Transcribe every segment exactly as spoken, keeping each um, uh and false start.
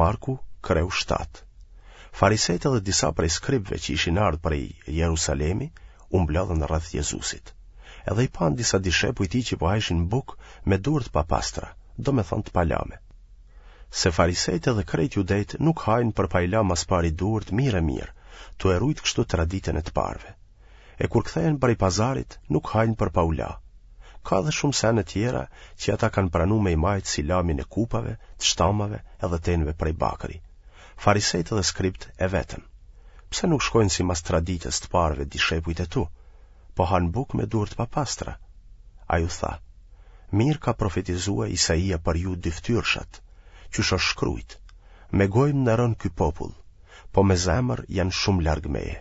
Marku, kreu shtatë. Farisejtë edhe disa prej skribëve që ishin ardhë prej Jerusalemi, u mblodhën rreth Jezusit. Edhe i panë disa dishepuj tij që po hajshin bukë me duar të papastra, domethënë të palame. Se farisejtë edhe krejt judejtë nuk hajnë për pa i la mas pari duart mirë e mirë, tu e rujt kështu traditën e të parëve. E kur kthehen prej pazarit, nuk hajnë për pa u la. Ka edhe shumë sene tjera që ata kanë pranu me i majtë si lamin e kupave, të shtamave edhe tenëve prej bakri. Farisejtë dhe skribt e vetën. Pse nuk shkojnë simas traditës të parëve dishepujt e tu, po hanë bukë me duar të papastra? Ai u tha, mirë ka profetizua Isaia për ju dyftyrshat, qysh është shkrujt, me gojë më nderon ky popull, po me zemër janë shumë larg meje.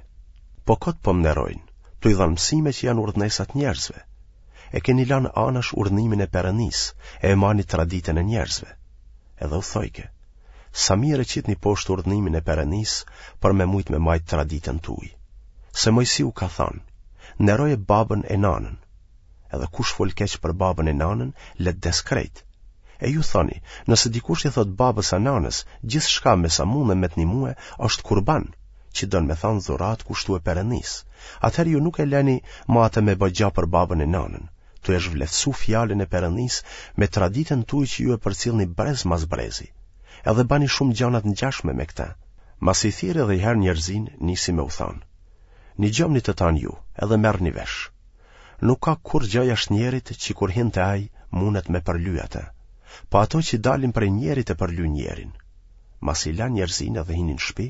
Po kot po më nderojnë, tu i dhanë mësime që janë urdhnesa të njerëzve. E keni lanë anash urdhnimin e Perëndisë, e e mani traditën e njerëzve. Edhe u thojke, sa mirë e qitni poshtë urdhnimin e Perëndisë për me mujt me majt traditën tuj. Se Mojsiu ka thanë, nderoje babën e nanën. Edhe kush fol keq për babën e nanën, le të des krejt. E ju thoni, nëse dikush i thot babës a nanës, gjithçka me sa mundem me të nimue është kurban, që don me thanë dhuratë kushtue Perëndisë. Atëherë ju nuk e leni ma atë me bë gja për babën e nanën, tu e zhvleftësu fjalën e Perëndisë me traditën tuaj që ju e përcillni brez mas brezi. Edhe bani shumë gjana të ngjashme me këtë. Masi thirri edhe i herë njerëzinë, nisi me u thanë. Nigjomni të tanë ju, edhe merrni vesh. Nuk ka kurrgjë jashtë njerit që kur hin te ai mundet me përly atë. Po ato që dalin prej njerit e përlyjnë njerin. Masi la njerëzinë edhe hini në shtëpi,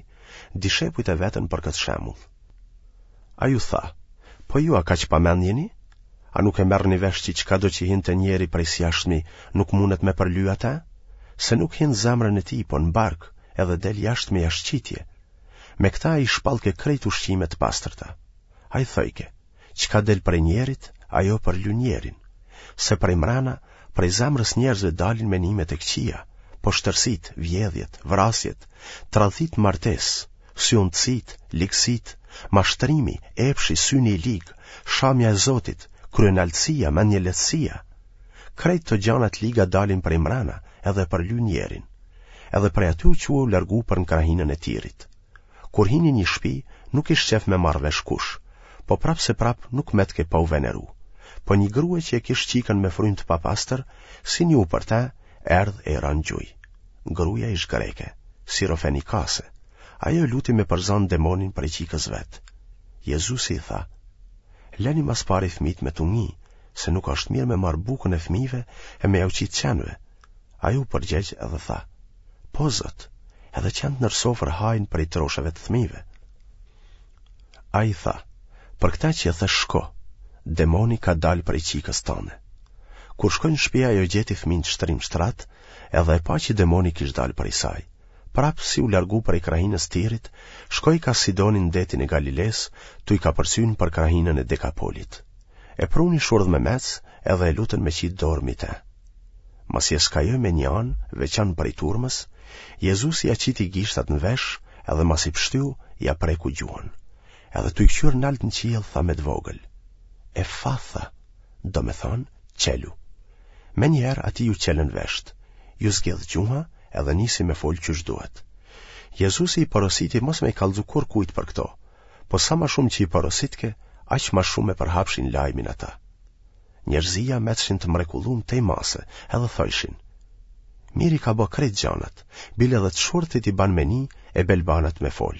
dishepujt e vetën për këtë shembull. Ai u tha, po ju a kaq pamend jeni? A nuk e merrni vesh që çkado që hin te njeri prej së jashtmi nuk mundet me përly atë? Se nuk hin zemrën e tij, po në bark, edhe del jashtë me jashtëqitje. Me këta ai shpallke krejt ushqime të pastërta. Ai thojke, çka del prej njerit, ajo përlyn njerin. Se prej mrena, prej zemrës njerëzve dalin menimet e këqija, poshtërsitë, vjedhjet, vrasjet, tradhtitë martesë, syuntësitë, ligësitë, mashtrimi, epshi, syni i lig, shamja e Zotit, kryenaltësia, mendjelehtësia. Krejt këto gjana të liga dalin prej mrena edhe përlyjnë njerin. Edhe prej aty u çua u largu për në krahinën e Tirit. Kur hini një shtëpi, nuk ish qef me marrë vesh kush, po prapë se prapë nuk metke pa u veneru. Po një grue që e kish qikën me frymë të papastër, si nju për te, erdh e i ra në gjuj. Gruaja ish greke, sirofenikase. Ajo e luti me përzanë demonin prej qikës vet. Jezusi i tha, leni mas pari fëmijët me t'u ngi, se nuk është mirë me marrë bukën e fëmijëve e me jau qitë qenve. Ajo u përgjegj edhe tha, po Zot, edhe qentë nër sofër hajnë prej trosheve të fëmijëve. Ai tha, për këta që e the shko, demoni ka dalë prej qikës tane. Kur shkoi në shtëpi ajo gjeti fëmijën të shtrim shtrat, edhe e pa që demoni kish dalë prej saj. Prapë si u largu prej krahinës Tirit, shkoi ka Sidoni në detin e Galilesë, tu i kapërcyn për krahinën e Dekapolit. E pruni shurdh me mec, edhe e lutën me qitë dorë mi te. Masi e skajoi me një anë, veçan prej turmës, Jezusi ja qiti gishtat në vesh, edhe masi pshtyu, ja preku gjuhën. Edhe tu i kqyrë nalt në qiell tha me të vogël. Efatha, do me thonë, qelu. Me njëherë atij ju qelën vesht, ju zgjedh gjuha edhe nisi me fol qysh duhet. Jezusi i porositi mos me i kallzu kurrkujt për këto, po sa ma shumë që i porositke, aq ma shumë e përhapshin lajmin ata. Njerëzia metshin të mrekullum tej mase, edhe thojshin. Mirë i ka bë krejt gjanat, bile edhe të shurdhtit i ban me ni e belbanat me fol.